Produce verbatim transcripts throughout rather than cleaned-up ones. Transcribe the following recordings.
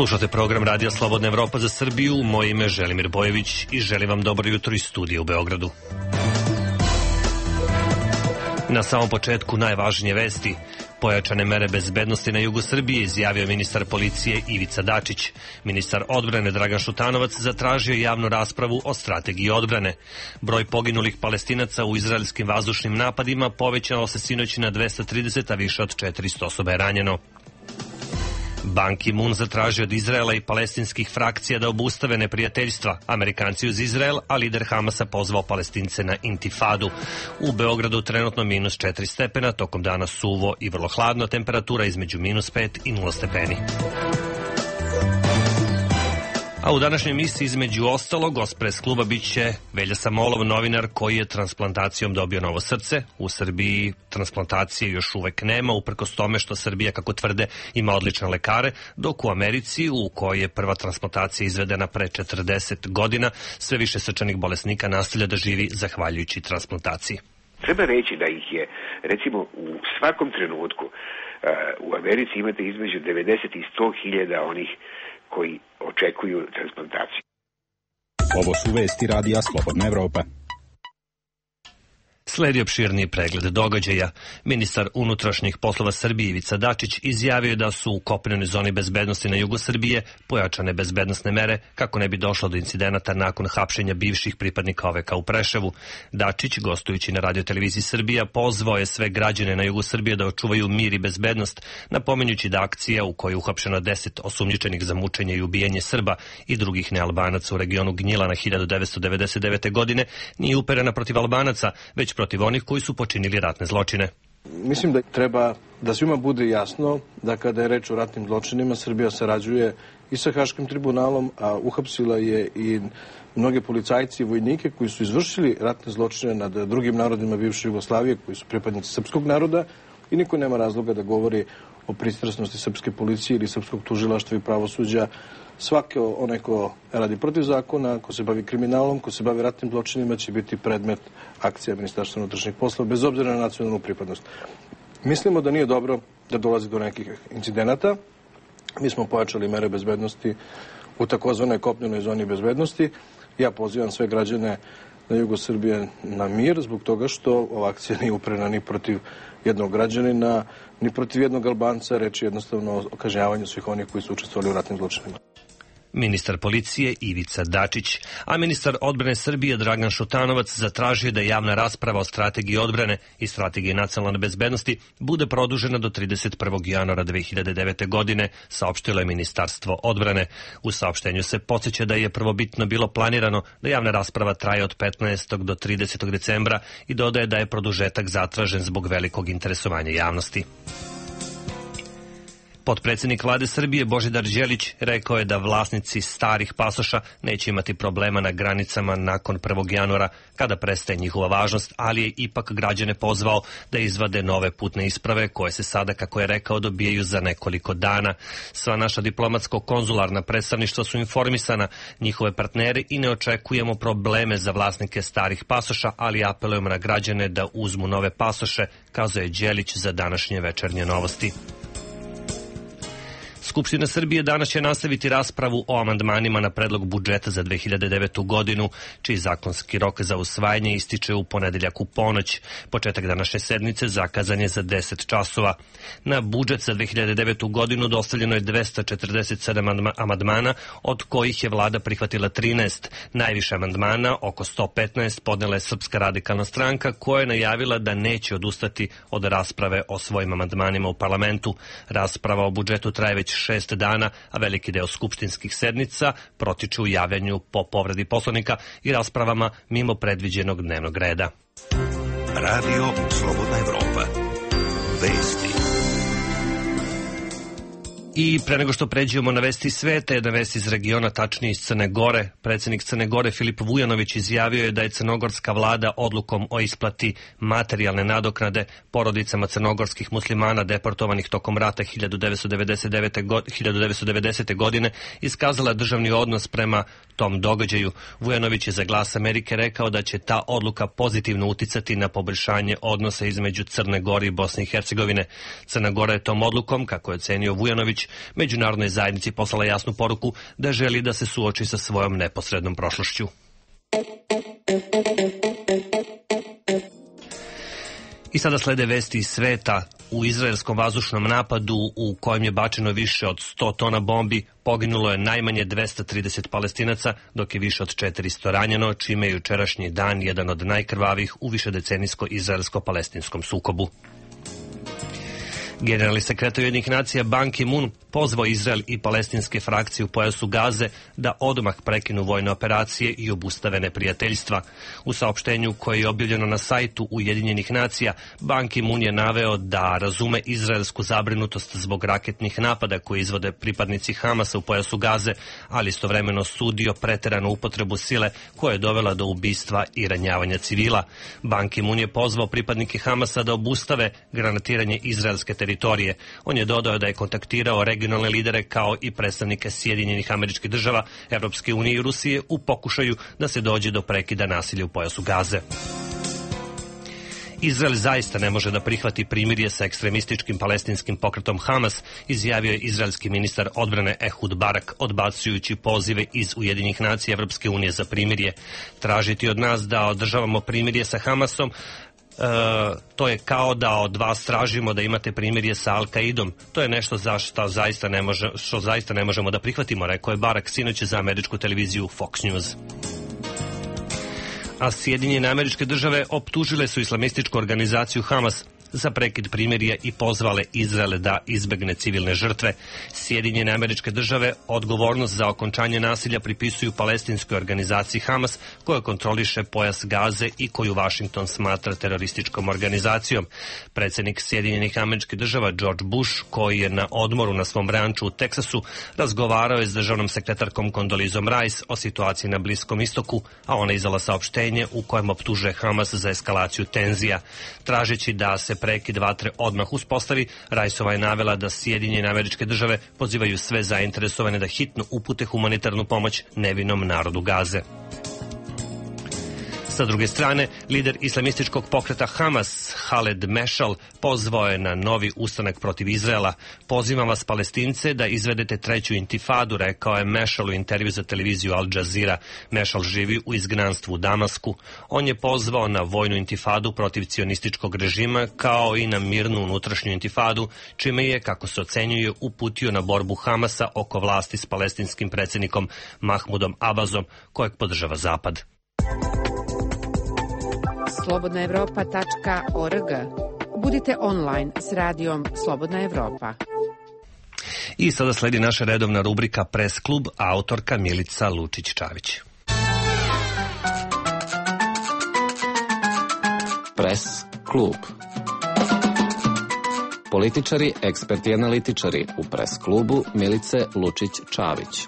Slušate program Radija Slobodna Evropa za Srbiju. Moje ime je Želimir Bojević i želim vam dobro jutro iz studija u Beogradu. Na samom početku najvažnije vesti. Pojačane mere bezbednosti na jugu Srbije izjavio ministar policije Ivica Dačić. Ministar odbrane Dragan Šutanovac zatražio javnu raspravu o strategiji odbrane. Broj poginulih Palestinaca u izraelskim vazdušnim napadima povećao se sinoć na dvesta trideset, a više od četiristo osoba je ranjeno. Ban Ki-moon zatražio od Izraela i palestinskih frakcija da obustave neprijateljstva. Amerikanci uz Izrael, a lider Hamasa pozvao Palestince na intifadu. U Beogradu trenutno minus četiri stepena, tokom dana suvo i vrlo hladno, temperatura između minus pet i nula stepeni. A u današnjoj emisiji između ostalog gost pres kluba biće Velja Samolov, novinar koji je transplantacijom dobio novo srce. U Srbiji transplantacije još uvek nema, uprkos tome što Srbija, kako tvrde, ima odlične lekare, dok u Americi, u kojoj je prva transplantacija izvedena pre četrdeset godina, sve više srčanih bolesnika nastavlja da živi zahvaljujući transplantaciji. Treba reći da ih je, recimo, u svakom trenutku uh, u Americi imate između devedeset i sto hiljada onih koji očekuju transplantaciju. Ovo su vesti Radija Slobodna Evropa. Sledi opširniji pregled događaja. Ministar unutrašnjih poslova Srbije Ivica Dačić izjavio da su u kopnenoj zoni bezbednosti na jugu Srbije pojačane bezbednosne mere kako ne bi došlo do incidenata nakon hapšenja bivših pripadnika O V K u Preševu. Dačić, gostujući na radioteleviziji Srbija, pozvao je sve građane na jugu Srbije da očuvaju mir i bezbednost, napominjući da akcija u kojoj je uhapšeno deset osumnjičenih za mučenje i ubijanje Srba i drugih nealbanaca u regionu Gnjilana hiljadu devetsto devedeset devete. godine nije uperena protiv Albanaca, već protiv onih koji su počinili ratne zločine. Mislim da treba da svima bude jasno da kada je reč o ratnim zločinima, Srbija sarađuje i sa Haškim tribunalom, a uhapsila je i mnoge policajci i vojnike koji su izvršili ratne zločine nad drugim narodima bivše Jugoslavije, koji su pripadnici srpskog naroda, i niko nema razloga da govori o pristrasnosti srpske policije ili srpskog tužilaštva i pravosuđa. Svako onaj ko radi protiv zakona, ko se bavi kriminalom, ko se bavi ratnim zločinima, će biti predmet akcija Ministarstva unutrašnjih poslova, bez obzira na nacionalnu pripadnost. Mislimo da nije dobro da dolazi do nekih incidenata. Mi smo pojačali mere bezbednosti u takozvanoj kopnenoj zoni bezbednosti. Ja pozivam sve građane na jugu Srbije na mir, zbog toga što ova akcija nije uprena ni protiv jednog građanina, ni protiv jednog Albanca, reč je jednostavno o kažnjavanju svih onih koji su učestvovali u ratnim zločinima. Ministar policije Ivica Dačić, a ministar odbrane Srbije Dragan Šutanovac zatražio da javna rasprava o strategiji odbrane i strategiji nacionalne bezbednosti bude produžena do trideset prvog januara dve hiljade devete. godine, saopštilo je Ministarstvo odbrane. U saopštenju se podsjeća da je prvobitno bilo planirano da javna rasprava traje od petnaestog do tridesetog decembra i dodaje da je produžetak zatražen zbog velikog interesovanja javnosti. Potpredsednik vlade Srbije Božidar Đelić rekao je da vlasnici starih pasoša neće imati problema na granicama nakon prvog januara kada prestaje njihova važnost, ali je ipak građane pozvao da izvade nove putne isprave koje se sada, kako je rekao, dobijaju za nekoliko dana. Sva naša diplomatsko-konzularna predstavništva su informisana, njihove partneri, i ne očekujemo probleme za vlasnike starih pasoša, ali apelujemo na građane da uzmu nove pasoše, kazao je Đelić za današnje Večernje novosti. Skupština Srbije danas će nastaviti raspravu o amandmanima na predlog budžeta za dve hiljade devetu. godinu, čiji zakonski rok za usvajanje ističe u ponedeljak u ponoć. Početak današnje sednice zakazan je za deset časova. Na budžet za dve hiljade devetu. godinu dostavljeno je dvesta četrdeset sedam amandmana, od kojih je vlada prihvatila trinaest. Najviše amandmana, oko sto petnaest, podnela je Srpska radikalna stranka, koja je najavila da neće odustati od rasprave o svojim amandmanima u parlamentu. Rasprava o budžetu traje već šest dana, a veliki deo skupštinskih sednica protiče u javljanju po povredi Poslovnika i raspravama mimo predviđenog dnevnog reda. Radio Slobodna Evropa. Vesti. I pre nego što pređemo na vesti sveta, jedna vest iz regiona, tačnije iz Crne Gore. Predsjednik Crne Gore Filip Vujanović izjavio je da je crnogorska vlada odlukom o isplati materijalne nadoknade porodicama crnogorskih muslimana deportovanih tokom rata hiljadu devetsto devedesete. godine iskazala državni odnos prema tom događaju. Vujanović je za Glas Amerike rekao da će ta odluka pozitivno uticati na poboljšanje odnosa između Crne Gore i Bosne i Hercegovine. Crna Gora je tom odlukom, kako je ocenio Vujanović, Kuponoć međunarodnoj zajednici poslala jasnu poruku da želi da se suoči sa svojom neposrednom prošlošću. I sada slede vesti iz sveta. U izraelskom vazdušnom napadu u kojem je bačeno više od sto tona bombi poginulo je najmanje dvesta trideset Palestinaca, dok je više od četiristo ranjeno, čime je jučerašnji dan jedan od najkrvavijih u višedecenijsko-izraelsko-palestinskom sukobu. Generalni sekretar Ujedinjenih nacija Ban Ki-moon pozvao Izrael i palestinske frakcije u pojasu Gaze da odmah prekinu vojne operacije i obustave neprijateljstva. U saopštenju koje je objavljeno na sajtu Ujedinjenih nacija, Ban Ki-moon je naveo da razume izraelsku zabrinutost zbog raketnih napada koje izvode pripadnici Hamasa u pojasu Gaze, ali istovremeno sudio preteranu upotrebu sile koja je dovela do ubistva i ranjavanja civila. Ban Ki-moon je pozvao pripadnike Hamasa da obustave granatiranje izraelske teritorije. On je dodao da je kontaktirao regionalne lidere kao i predstavnike Sjedinjenih Američkih Država, Evropske unije i Rusije u pokušaju da se dođe do prekida nasilja u pojasu Gaze. Izrael zaista ne može da prihvati primirje sa ekstremističkim palestinskim pokretom Hamas, izjavio je izraelski ministar odbrane Ehud Barak, odbacujući pozive iz Ujedinjenih nacija Evropske unije za primirje. Tražiti od nas da održavamo primirje sa Hamasom, E, to je kao da od vas tražimo da imate primirje sa Al-Kaidom. To je nešto za što zaista ne, može, što zaista ne možemo da prihvatimo, rekao je Barak sinoć za američku televiziju Fox News. A Sjedinjene Američke Države optužile su islamističku organizaciju Hamas za prekid primirja i pozvale Izrael da izbegne civilne žrtve. Sjedinjene Američke Države odgovornost za okončanje nasilja pripisuju palestinskoj organizaciji Hamas, koja kontroliše pojas Gaze i koju Vašington smatra terorističkom organizacijom. Predsjednik Sjedinjenih Američkih Država George Bush, koji je na odmoru na svom ranču u Teksasu, razgovarao je s državnom sekretarkom Kondolizom Rice o situaciji na Bliskom istoku, a ona izdala saopštenje u kojem optužuje Hamas za eskalaciju tenzija. Tražeći da se prekid vatre odmah uspostavi, Rajsova je navela da Sjedinjene Američke Države pozivaju sve zainteresovane da hitno upute humanitarnu pomoć nevinom narodu Gaze. Sa druge strane, lider islamističkog pokreta Hamas, Khaled Mešal, pozvao je na novi ustanak protiv Izraela. Pozivam vas, Palestince, da izvedete treću intifadu, rekao je Mešal u intervju za televiziju Al Jazeera. Mešal živi u izgnanstvu u Damasku. On je pozvao na vojnu intifadu protiv cionističkog režima, kao i na mirnu unutrašnju intifadu, čime je, kako se ocenjuje, uputio na borbu Hamasa oko vlasti s palestinskim predsjednikom Mahmudom Abazom, kojeg podržava Zapad. slobodna evropa tačka org. Budite online s radijom Slobodna Evropa. I sada sledi naša redovna rubrika Press klub, autorka Milica Lučić-Čavić. Press klub. Političari, eksperti i analitičari u Press klubu Milice Lučić-Čavić.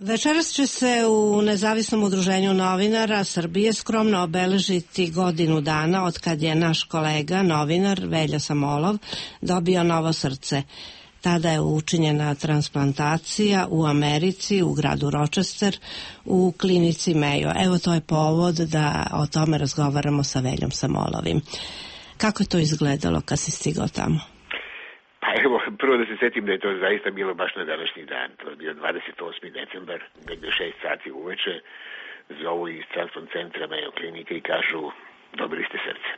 Večeras će se u Nezavisnom udruženju novinara Srbije skromno obeležiti godinu dana od kad je naš kolega, novinar Velja Samolov, dobio novo srce. Tada je učinjena transplantacija u Americi, u gradu Rochester, u klinici Mayo. Evo, to je povod da o tome razgovaramo sa Veljom Samolovim. Kako je to izgledalo kad si stigao tamo? Pa evo, prvo da se setim da je to zaista bilo baš na današnji dan. To je bio dvadeset osmi decembar, negde šest sati uveče, zovu iz transplant centra Mayo klinike i kažu, dobili ste srce.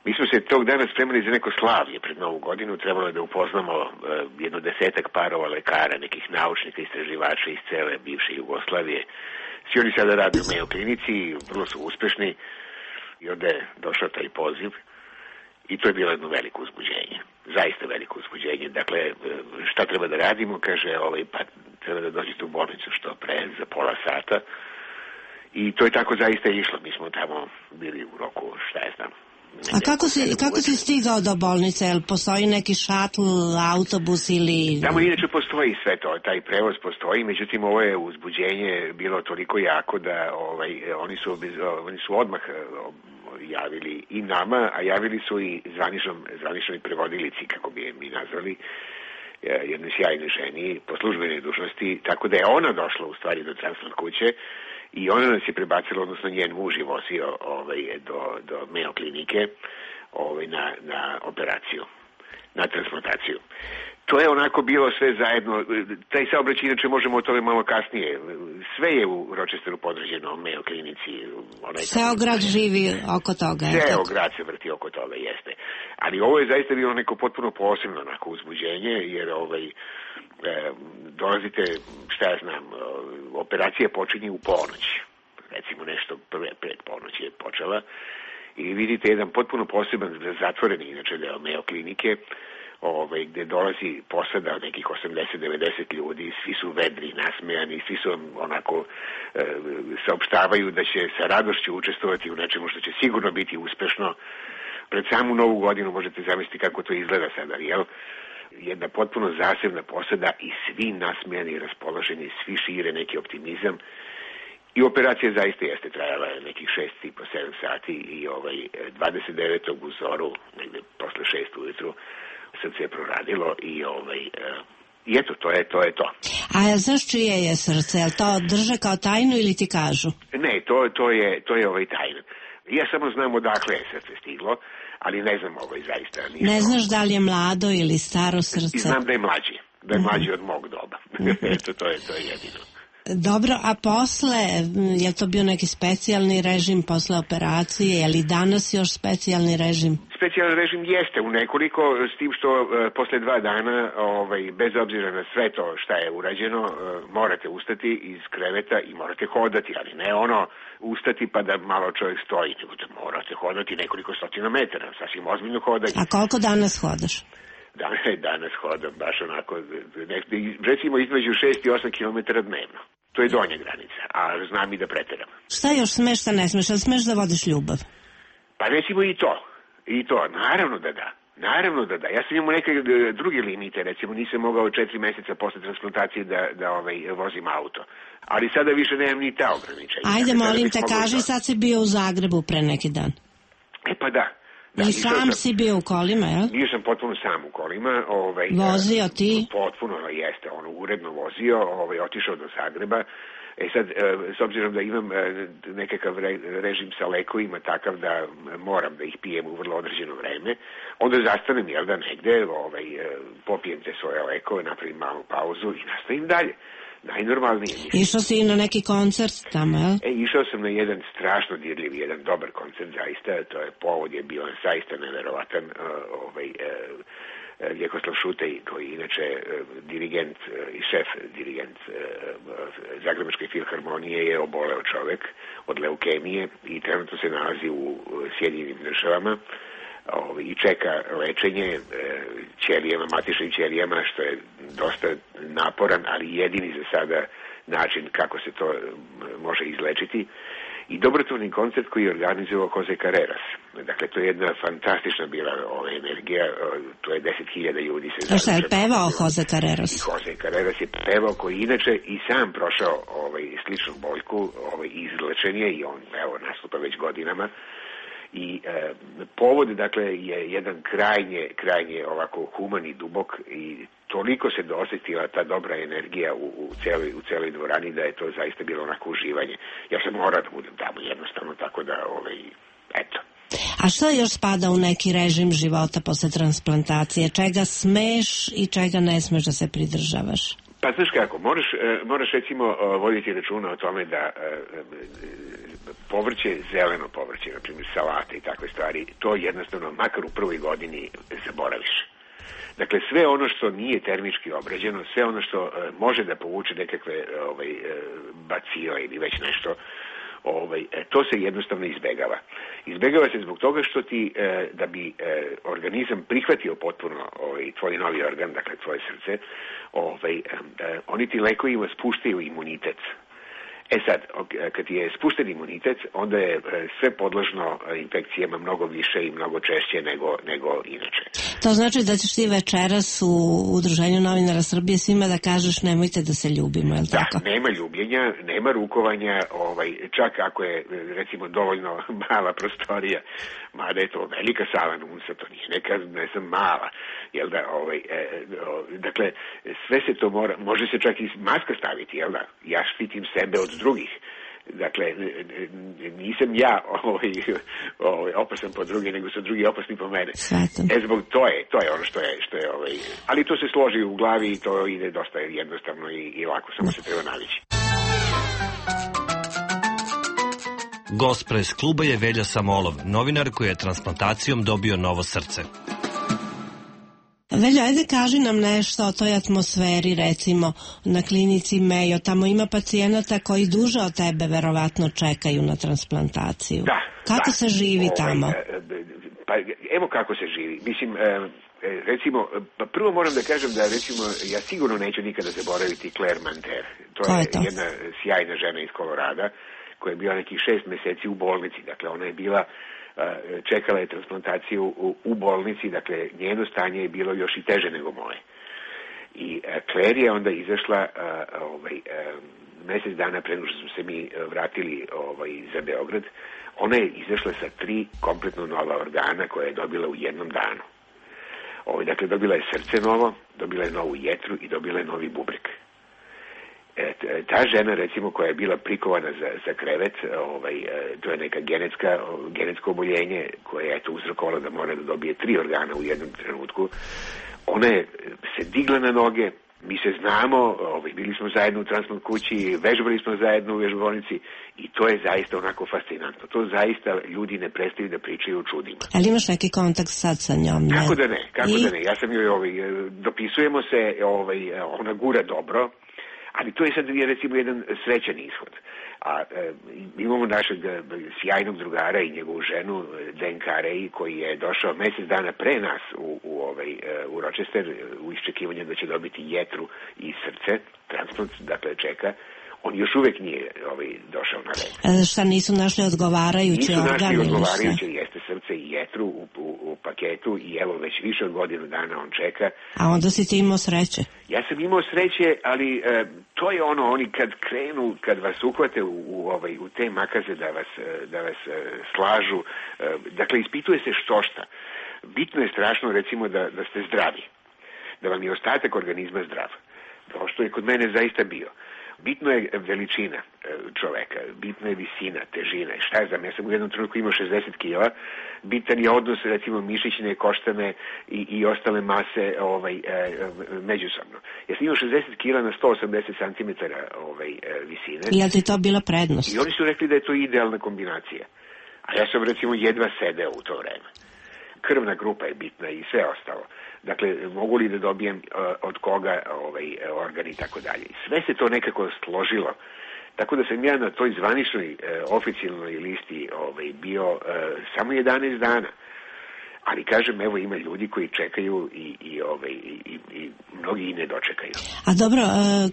Mi smo se tog dana spremali za neko slavlje pred Novu godinu, trebalo je da upoznamo uh, jedno desetak parova lekara, nekih naučnika, istraživača iz cele bivše Jugoslavije. Svi oni sada rade u Mayo klinici, vrlo su uspešni i onda je došao taj poziv i to je bilo jedno veliko uzbuđenje. Zaista veliko uzbuđenje. Dakle, šta treba da radimo? Kaže, ovaj, pa treba da dođete u bolnicu što pre, za pola sata. I to je tako zaista išlo. Mi smo tamo bili u roku, šta je znam. A kako si, kako si stigao do bolnice? Jel postoji neki šatl, autobus ili... Tamo inače postoji sve to, taj prevoz postoji, međutim ovo je uzbuđenje bilo toliko jako da ovaj, oni, su, oni su odmah javili i nama, a javili su i zvaničnom, zvaničnoj prevodilici, kako bi je mi nazvali, jednoj sjajnoj ženi po službenoj dužnosti, tako da je ona došla u stvari do transplant kuće i ona nas je prebacila, odnosno njen muž je vozio ovaj, do, do Mayo klinike ovaj, na, na operaciju. na transplantaciju. To je onako bilo sve zajedno, taj saobraćaj, inače možemo o tome malo kasnije, sve je u Rochesteru podređeno Mayo klinici. Ceo grad živi oko toga. Ceo grad se vrti oko toga, jeste. Ali ovo je zaista bilo neko potpuno posebno onako uzbuđenje, jer ovaj, e, dolazite, šta ja znam, operacija počinje u ponoć, recimo nešto pre, pred ponoć je počela, i vidite jedan potpuno poseban, zatvoreni inače deo Mayo klinike, Ove, gde dolazi posada od nekih osamdeset do devedeset ljudi, svi su vedri, nasmejani, svi su onako e, saopštavaju da će sa radošću učestvovati u nečemu što će sigurno biti uspešno. Pred samu novu godinu možete zamisliti kako to izgleda sada, jel? Jedna potpuno zasebna posada i svi nasmejani i raspoloženi, svi šire neki optimizam. I operacija zaista jeste trajala nekih šest i po sedam sati i ovaj dvadeset devetog u zoru, negde posle šest ujutru, srce je proradilo i ovaj i eto, to je to. je to. A znaš čije je srce? Je li to drže kao tajnu ili ti kažu? Ne, to, to je to je ovaj tajna. Ja samo znam odakle je srce stiglo, ali ne znam ovaj zaista. Nisam. Ne znaš da li je mlado ili staro srce? I znam da je mlađi, da je mlađi mm-hmm. od mog doba. Mm-hmm. Eto, to je, to je jedino. Dobro, a posle, je to bio neki specijalni režim posle operacije, je li danas još specijalni režim? Specijalni režim jeste u nekoliko, s tim što uh, posle dva dana, ovaj, bez obzira na sve to šta je urađeno, uh, morate ustati iz kreveta i morate hodati, ali ne ono ustati pa da malo čovjek stoji, nego da morate hodati nekoliko stotina metara, sasvim ozbiljno hodanje. A koliko danas hodaš? Danas hodam baš onako, recimo između šest i osam kilometara dnevno. To je donja granica, a znam i da preteram. Šta još smeš, šta ne smeš, ali smeš da vodiš ljubav? Pa recimo i to, i to, naravno da da. Naravno da da. Ja sam imao neke druge limite, recimo nisam mogao četiri meseca posle transplantacije da, da ovaj, vozim auto. Ali sada više nemam ni ta ograničenja. Ajde, molim te, kaži, sad si bio u Zagrebu pre neki dan. E pa da. Da, I sam sam, si bio u kolima, jel? Bio sam potpuno sam u kolima. Ovaj, vozio ti? Potpuno, jeste, ono, uredno vozio, ovaj, otišao do Zagreba. E sad, s obzirom da imam nekakav režim sa lekovima takav da moram da ih pijem u vrlo određeno vreme, onda zastanem, jel da, negde, ovaj, popijem te svoje lekove, napravim malu pauzu i nastavim dalje. Najnormalnije. Išao si i na neki koncert tamo, jel? E, išao sam na jedan strašno dirljiv, jedan dobar koncert, zaista, to je povod je bio zaista neverovatan, uh, ovaj, uh, Ljekoslav Šutej, koji inače uh, dirigent uh, i šef dirigent uh, Zagrebačke filharmonije, je oboleo čovek od leukemije i trenutno se nalazi u uh, Sjedinjenim Državama i čeka lečenje ćelijama, matičnim ćelijama, što je dosta naporan, ali jedini za sada način kako se to može izlečiti. I dobrotvorni koncert koji je organizovao Jose Carreras. Dakle, to je jedna fantastična bila ova energija, to je deset hiljada ljudi. A šta je pevao Jose Carreras? I Jose Carreras je pevao, koji inače i sam prošao ovaj, sličnu boljku, ovaj, izlečen je i on, evo, nastupa već godinama. I e, povod, dakle, je jedan krajnje, krajnje ovako human i dubok i toliko se dosjetila ta dobra energija u, u, celoj, u celoj dvorani da je to zaista bilo onako uživanje. Ja sam morao da budem tamo jednostavno, tako da, ovaj, eto. A šta još spada u neki režim života posle transplantacije? Čega smeš i čega ne smeš da se pridržavaš? Pa znaš kako, moraš, moraš recimo voditi računa o tome da povrće, zeleno povrće, na primjer salate i takve stvari, to jednostavno makar u prvoj godini zaboraviš. Dakle, sve ono što nije termički obrađeno, sve ono što može da povuče nekakve ovaj, bacile ili već nešto, Ovaj, to se jednostavno izbegava. Izbegava se zbog toga što ti, e, da bi e, organizam prihvatio potpuno ovaj, tvoj novi organ, dakle tvoje srce, ovaj, e, oni ti lekovima spuštaju imunitet. E sad, kad je spušten imunitet, onda je sve podložno infekcijama mnogo više i mnogo češće nego, nego inače. To znači da ćeš ti večeras u Udruženju novinara Srbije svima da kažeš nemojte da se ljubimo, je li tako? Da, nema ljubljenja, nema rukovanja, ovaj, čak ako je recimo dovoljno mala prostorija, mada je to velika sala Nunsa, to nije neka, ne znam, mala, jel da, ovaj, e, o, dakle, sve se to mora, može se čak i maska staviti, jel da, ja štitim sebe od drugih, dakle, nisam ja ovaj, ovaj, opasan po drugi, nego su drugi opasni po mene. Svatam. E, zbog to je, to je ono što je, što je ovaj, ali to se složi u glavi i to ide dosta jednostavno i, i lako, samo se treba navići. Gost pres kluba je Velja Samolov, novinar koji je transplantacijom dobio novo srce. Velja, ajde kaži nam nešto o toj atmosferi, recimo na klinici Mayo. Tamo ima pacijenata koji duže od tebe verovatno čekaju na transplantaciju. Da. Kako da. se živi ovaj, tamo? Pa evo kako se živi. Mislim, recimo, pa prvo moram da kažem da recimo ja sigurno neću nikada zaboraviti Claire Manter. To je, je to? jedna sjajna žena iz Kolorada koja je bila nekih šest meseci u bolnici. Dakle, ona je bila čekala je transplantaciju u, u bolnici, dakle njeno stanje je bilo još i teže nego moje. I Claire je onda izašla ovaj, mesec dana pre nego što smo se mi vratili ovaj, za Beograd, ona je izašla sa tri kompletno nova organa koje je dobila u jednom danu. Ovaj, dakle, dobila je srce novo, dobila je novu jetru i dobila je novi bubreg. E, ta žena, recimo, koja je bila prikovana za, za krevet, ovaj, to je neka genetska, genetsko oboljenje koje je to uzrokovalo da mora da dobije tri organa u jednom trenutku. Ona je se digla na noge, mi se znamo, ovaj, bili smo zajedno u transplant kući, vežbali smo zajedno u vežbovnici i to je zaista onako fascinantno. To zaista ljudi ne prestaju da pričaju o čudima. Ali imaš neki kontakt sad sa njom? Ne? Kako da ne, kako I... da ne. Ja sam joj, ovaj, dopisujemo se, ovaj, ona gura dobro. Ali to je sad recimo jedan srećan ishod. A e, imamo našeg e, sjajnog drugara i njegovu ženu Dan Carey koji je došao mesec dana pre nas u, u, ovaj, e, u Rochester u iščekivanju da će dobiti jetru i srce, transplant, dakle čeka. On još uvek nije ovaj, došao na red. A šta nisu našli odgovarajući organ? Nisu našli odgovarajući, jeste srce i jetru u, u, u paketu i evo već više od godinu dana on čeka. A onda si ti imao sreće? Ja sam imao sreće, ali e, to je ono, oni kad krenu, kad vas uhvate u, u, ovaj, u te makaze da vas, da vas e, slažu, e, dakle ispituje se što šta. Bitno je strašno recimo da, da ste zdravi, da vam je ostatak organizma zdrav. To što je kod mene zaista bio. Bitno je veličina čoveka, bitno je visina, težina. Šta ja znam, ja sam u jednom trenutku imao šezdeset kila, bitan je odnos recimo mišićne, koštane i, i ostale mase ovaj, e, međusobno. Ja sam imao šezdeset kila na sto osamdeset centimetara ovaj, e, visine. I je li ti to bila prednost? I oni su rekli da je to idealna kombinacija. A ja sam recimo jedva sedeo u to vreme. Krvna grupa je bitna i sve ostalo. Dakle, mogu li da dobijem uh, od koga ovaj, organ i tako dalje. Sve se to nekako složilo. Tako da sam ja na toj zvaničnoj uh, oficijalnoj listi ovaj, bio uh, samo jedanaest dana. Ali kažem, evo ima ljudi koji čekaju i, i, ovaj, i, i mnogi i ne dočekaju. A dobro,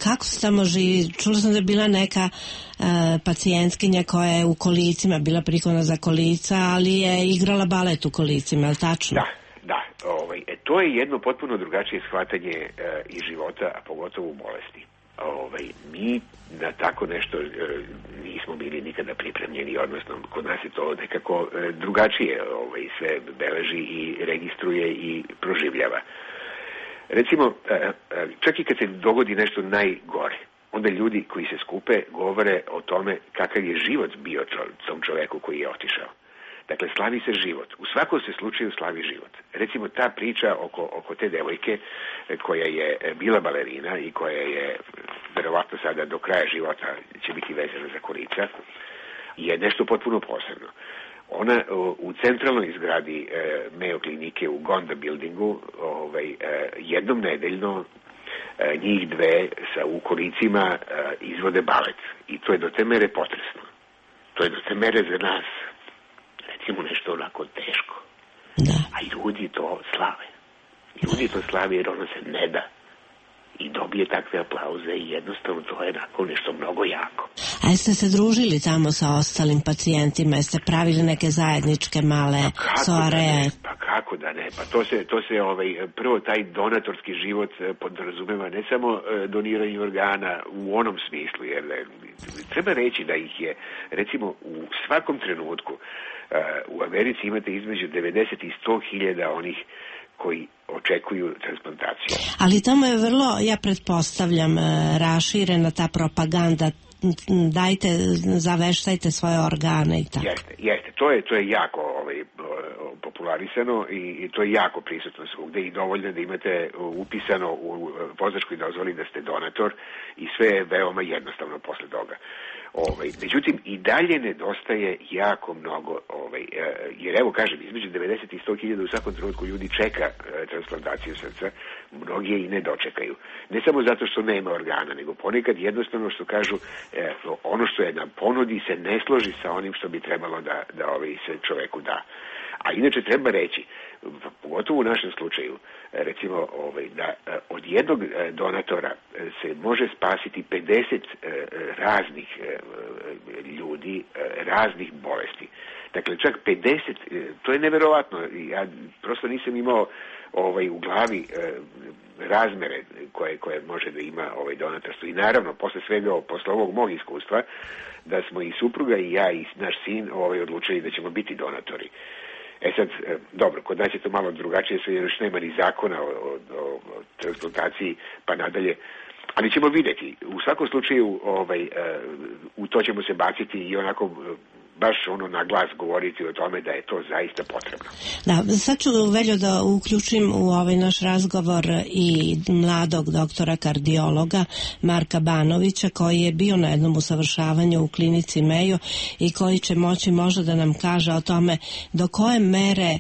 kako se tamo živi? Čula sam da je bila neka uh, pacijentkinja koja je u kolicima, bila prikovana za kolica, ali je igrala balet u kolicima, je li tačno? Da, da. Ovaj, e, to je jedno potpuno drugačije shvatanje uh, i života, a pogotovo u bolesti. Ovaj, mi na tako nešto e, nismo bili nikada pripremljeni, odnosno kod nas je to nekako e, drugačije ovaj, sve beleži i registruje i proživljava. Recimo, e, e, čak i kad se dogodi nešto najgore, onda ljudi koji se skupe govore o tome kakav je život bio tom čoveku koji je otišao. Dakle, slavi se život. U svakom se slučaju slavi život. Recimo, ta priča oko, oko te devojke koja je bila balerina i koja je, verovatno sada do kraja života će biti vezana za kolica, je nešto potpuno posebno. Ona u centralnoj zgradi e, Mayo klinike u Gonda buildingu ovaj, e, jednom nedeljno e, njih dve sa u kolicima e, izvode balet. I to je do te mere potresno. To je do te mere za nas recimo nešto onako teško. Da. A ljudi to slave. Ljudi to slave jer ono se ne da. I dobije takve aplauze i jednostavno to je onako nešto mnogo jako. A jeste se družili tamo sa ostalim pacijentima? Jeste pravili neke zajedničke male pa soareje? Da pa kako da ne? Pa to se, to se ovaj, prvo taj donatorski život podrazumeva ne samo doniranje organa u onom smislu, jer treba reći da ih je recimo u svakom trenutku u Americi imate između devedeset i sto hiljada onih koji očekuju transplantaciju. Ali tamo je vrlo, ja pretpostavljam, raširena ta propaganda, dajte, zaveštajte svoje organe i tako. Jeste, jeste. To je, to je jako ovaj, popularisano i, i to je jako prisutno svugde i dovoljno da imate upisano u vozačkoj dozvoli da ste donator i sve je veoma jednostavno posle toga. Ovaj, međutim, i dalje nedostaje jako mnogo, ovaj, jer evo kažem, između devedeset i sto hiljada u svakom trenutku ljudi čeka e, transplantaciju srca, mnogi je i ne dočekaju. Ne samo zato što nema organa, nego ponekad jednostavno što kažu, e, ono što je na ponudi se ne složi sa onim što bi trebalo da, da ovaj, se čoveku da. A inače treba reći, pogotovo u našem slučaju, recimo ovaj, da od jednog donatora se može spasiti pedeset raznih ljudi, raznih bolesti. Dakle, čak pedeset, to je neverovatno. Ja prosto nisam imao ovaj, u glavi razmere koje, koje može da ima ovaj donatorstvo. I naravno, posle svega, posle ovog mog iskustva, da smo i supruga i ja i naš sin ovaj, odlučili da ćemo biti donatori. E sad, dobro, kod nas je to malo drugačije, sve još nema ni zakona o, o, o transplantaciji pa nadalje, ali ćemo vidjeti. U svakom slučaju ovaj, u to ćemo se baciti i onako baš ono na glas govoriti o tome da je to zaista potrebno. Da, sad ću, Veljo, da uključim u ovaj naš razgovor i mladog doktora kardiologa Marka Banovića, koji je bio na jednom usavršavanju u klinici Mayo i koji će moći možda da nam kaže o tome do koje mere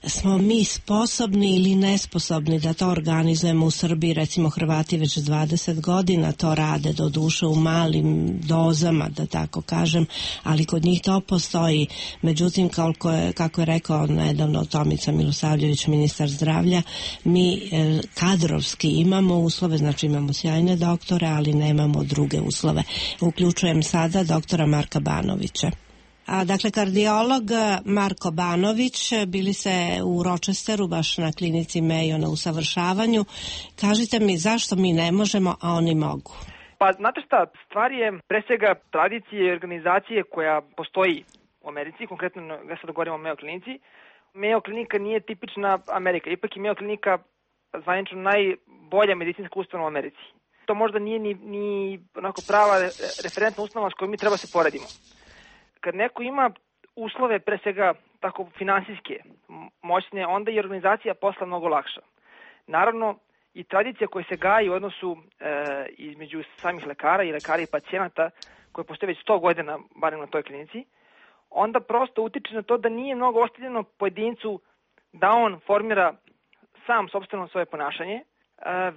smo mi sposobni ili nesposobni da to organizujemo u Srbiji. Recimo, Hrvati već dvadeset godina to rade, do duše u malim dozama, da tako kažem, ali kod njih to postoji. Međutim, kako je, kako je rekao nedavno Tomica Milosavljević, ministar zdravlja, mi e, kadrovski imamo uslove, znači imamo sjajne doktore, ali nemamo druge uslove. Uključujem sada doktora Marka Banovića. A, dakle, kardiolog Marko Banović, bili se u Rochesteru, baš na klinici Mayo na usavršavanju. Kažite mi, zašto mi ne možemo, a oni mogu? Pa, znate šta, stvar je pre svega tradicije i organizacije koja postoji u Americi, konkretno ja sad govorim o Mayo klinici. Mayo klinika nije tipična Amerika, ipak je Mayo klinika zvanično najbolja medicinska ustanova u Americi. To možda nije ni, ni onako prava referentna ustanova s kojom mi treba se poredimo. Kad neko ima uslove, pre svega tako finansijske, moćne, onda i organizacija posla mnogo lakša. Naravno, i tradicija koja se gaji u odnosu e, između samih lekara i lekara i pacijenata, koje postoje već sto godina, barem na toj klinici, onda prosto utiče na to da nije mnogo ostavljeno pojedincu da on formira sam sopstveno svoje ponašanje, e,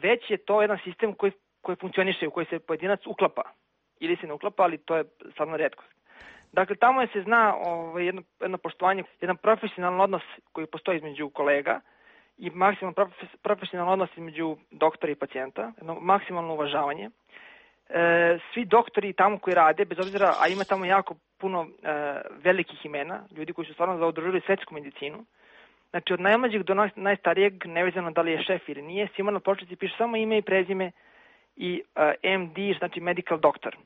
već je to jedan sistem koji, koji funkcioniše, u koji se pojedinac uklapa. Ili se ne uklapa, ali to je stvarno retkost. Dakle, tamo je se zna ovaj, jedno, jedno poštovanje, jedan profesionalan odnos koji postoji između kolega i maksimalno profesionalan odnos između doktora i pacijenta, jedno maksimalno uvažavanje. E, svi doktori tamo koji rade, bez obzira, a ima tamo jako puno e, velikih imena, ljudi koji su stvarno zaudružili svetsku medicinu, znači od najmlađeg do najstarijeg, nevezano da li je šef ili nije, svima na pločici piše samo ime i prezime i e, M D, znači medical doctor.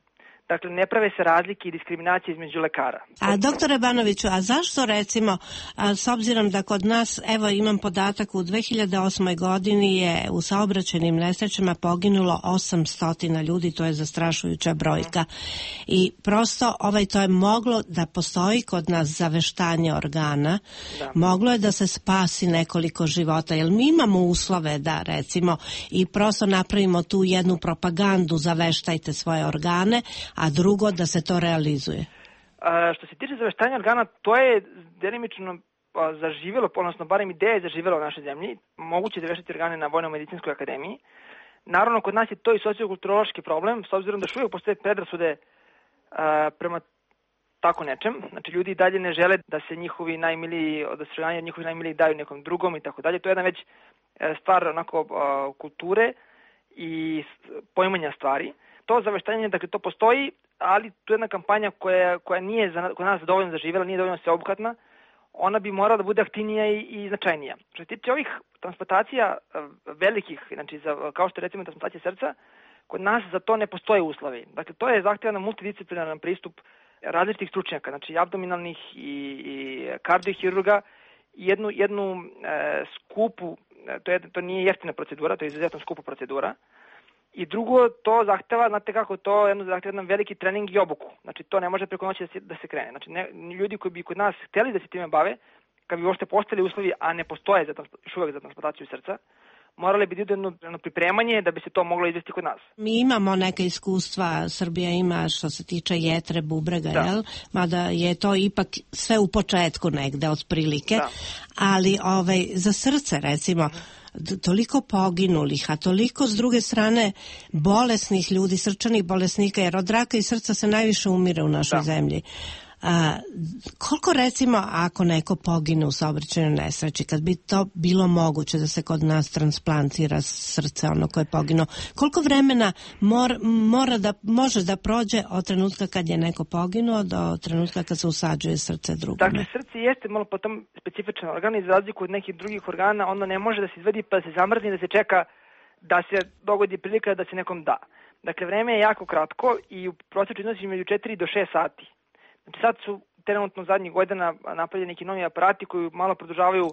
Dakle, ne prave se razlike i diskriminacije između lekara. A doktore Banoviću, a zašto recimo, a, s obzirom da kod nas, evo imam podatak, u dve hiljade osmoj godini je u saobraćajnim nesrećama poginulo osamsto ljudi, to je zastrašujuća brojka. Mm. I prosto ovaj, to je moglo da postoji kod nas zaveštanje organa, da. Moglo je da se spasi nekoliko života, jer mi imamo uslove da recimo i prosto napravimo tu jednu propagandu, zaveštajte svoje organe, a drugo da se to realizuje. A, što se tiče zaveštanja organa, to je delimično zaživjelo, odnosno barem ideja je zaživjela u našoj zemlji. Moguće zaveštati organe na Vojno-medicinskoj akademiji. Naravno, kod nas je to i sociokulturološki problem, s obzirom da još uvijek postoje predrasude a, prema tako nečem. Znači, ljudi i dalje ne žele da se njihovi najmiliji, da se organe njihovi najmiliji daju nekom drugom i tako dalje. To je jedna već stvar onako a, kulture i poimanja stvari. To zaveštanje, dakle, to postoji, ali tu je jedna kampanja koja, koja nije za, kod nas dovoljno zaživjela, nije dovoljno sveobuhvatna, ona bi morala da bude aktivnija i, i značajnija. Što se tiče ovih transplantacija velikih, znači za, kao što je recimo transplantacija srca, kod nas za to ne postoje uslovi. Dakle, to je zahtjevan multidisciplinaran pristup različitih stručnjaka, znači abdominalnih i, i kardiohirurga, i jednu, jednu e, skupu to, je, to nije jeftina procedura, to je izuzetno skupa procedura. I drugo, to zahteva, znate kako, to jedno zahteva jedan veliki trening i obuku. Znači, to ne može preko noći da se, da se krene. Znači, ne, ljudi koji bi kod nas hteli da se time bave, kad bi uopšte postali uslovi, a ne postoje za, još uvek za transplantaciju srca, morali bi jedno, jedno pripremanje da bi se to moglo izvesti kod nas. Mi imamo neka iskustva, Srbija ima što se tiče jetre, bubrega, da. Jel? Mada je to ipak sve u početku negde, otprilike. Da. Ali ovaj, za srce, recimo, toliko poginulih, a toliko s druge strane bolesnih ljudi, srčanih bolesnika, jer od raka i srca se najviše umire u našoj da. zemlji. A, koliko recimo ako neko pogine u saobraćajnoj nesreći, kad bi to bilo moguće da se kod nas transplantira srce ono koje je poginuo, koliko vremena mor, mora da, može da prođe od trenutka kad je neko poginuo do trenutka kad se usađuje srce drugome? Dakle, srce jeste malo potom specifičan organ i za razliku od nekih drugih organa, ono ne može da se izvedi pa da se zamrzni, da se čeka da se dogodi prilika da se nekom da. Dakle, vreme je jako kratko i u prosječu iznosi među četiri do šest sati. Znači sad su trenutno zadnjih godina napravljeni neki novi aparati koji malo produžavaju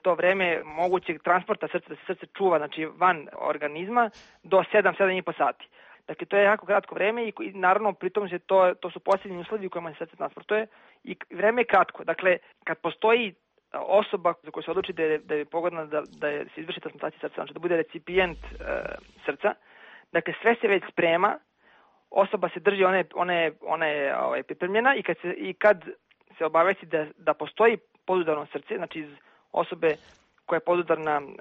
to vreme mogućeg transporta srca, da se srce čuva, znači van organizma, do sedam do sedam i po sati. Dakle, to je jako kratko vreme i, i naravno pritom se to, to su posljednji uslovi u kojima se srce transportuje i vreme je kratko. Dakle, kad postoji osoba za koju se odluči da je, da je pogodna da, da je, se izvrši transplantacija srca, znači da bude recipijent e, srca, dakle sve se već sprema, osoba se drži, ona je, ona je, ona je ovaj, pripremljena i kad se, i kad se obavesti da, da postoji podudarno srce, znači iz osobe koja je podudarna uh,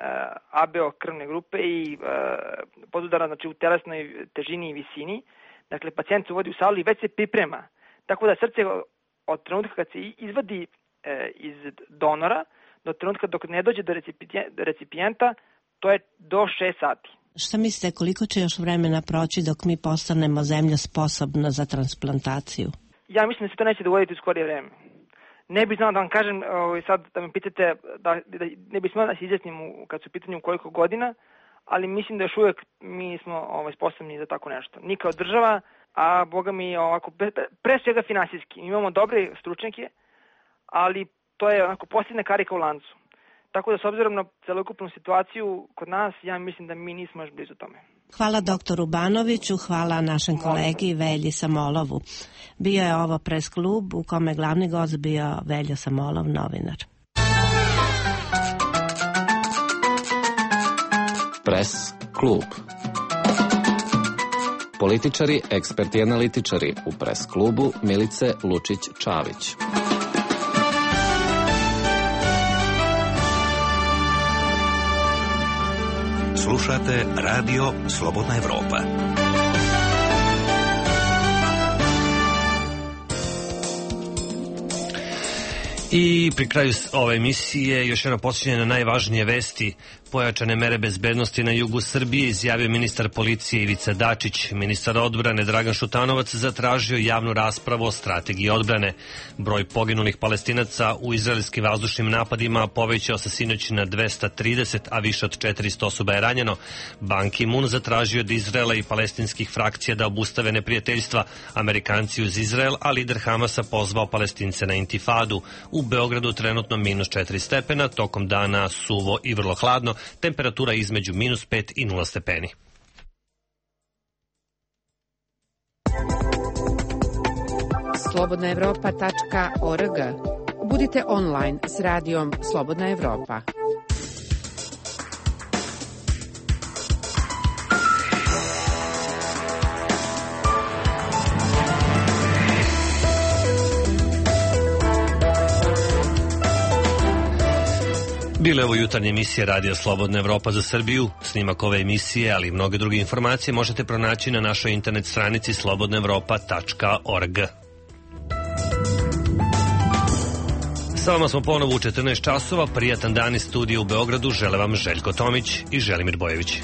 A B O krvne grupe i uh, podudarna znači, u telesnoj težini i visini, dakle pacijent se uvodi u salu i već se priprema. Tako da srce od trenutka kad se izvadi uh, iz donora do trenutka dok ne dođe do recipijenta, to je do šest sati. Šta mislite, koliko će još vremena proći dok mi postanemo zemlja sposobna za transplantaciju? Ja mislim da se to neće dogoditi u skorije vreme. Ne bih znao da vam kažem, sad da me pitate, da, da, ne bih smela da se izjasnim kad su u pitanju koliko godina, ali mislim da još uvijek mi smo ovaj, sposobni za tako nešto. Ni kao država, a boga mi ovako, pre, pre svega finansijski. Imamo dobre stručnjake, ali to je onako posljedna karika u lancu. Tako da s obzirom na celokupnu situaciju kod nas, ja mislim da mi nismo još blizu tome. Hvala doktoru Banoviću, hvala našem kolegi Velji Samolovu. Bio je ovo Pres klub u kome glavni gost bio Velja Samolov, novinar. Pres klub. Političari, eksperti i analitičari u Pres klubu Milice Lučić-Čavić. Slušate Radio Slobodna Evropa. I pri kraju ove emisije još jedno podsjećanje na najvažnije vesti. Pojačane mere bezbednosti na jugu Srbije izjavio ministar policije Ivica Dačić. Ministar odbrane Dragan Šutanovac zatražio javnu raspravu o strategiji odbrane. Broj poginulih Palestinaca u izraelskim vazdušnim napadima povećao se sinoć na dvesta trideset, a više od četiristo osoba je ranjeno. Ban Ki-moon zatražio od Izraela i palestinskih frakcija da obustave neprijateljstva. Amerikanci uz Izrael, a lider Hamasa pozvao Palestince na intifadu. U Beogradu trenutno minus četiri stepena, tokom dana suvo i vrlo hladno, temperatura između minus pet i nula stepeni. slobodna evropa tačka org. Budite online s radijom Slobodna Evropa. Bile ovo jutarnje emisije Radio Slobodna Evropa za Srbiju. Snimak ove emisije, ali i mnoge druge informacije možete pronaći na našoj internet stranici slobodna evropa tačka org. Sa vama smo ponovo u četrnaest časova. Prijatan dan iz studija u Beogradu. Žele vam Željko Tomić i Želimir Bojević.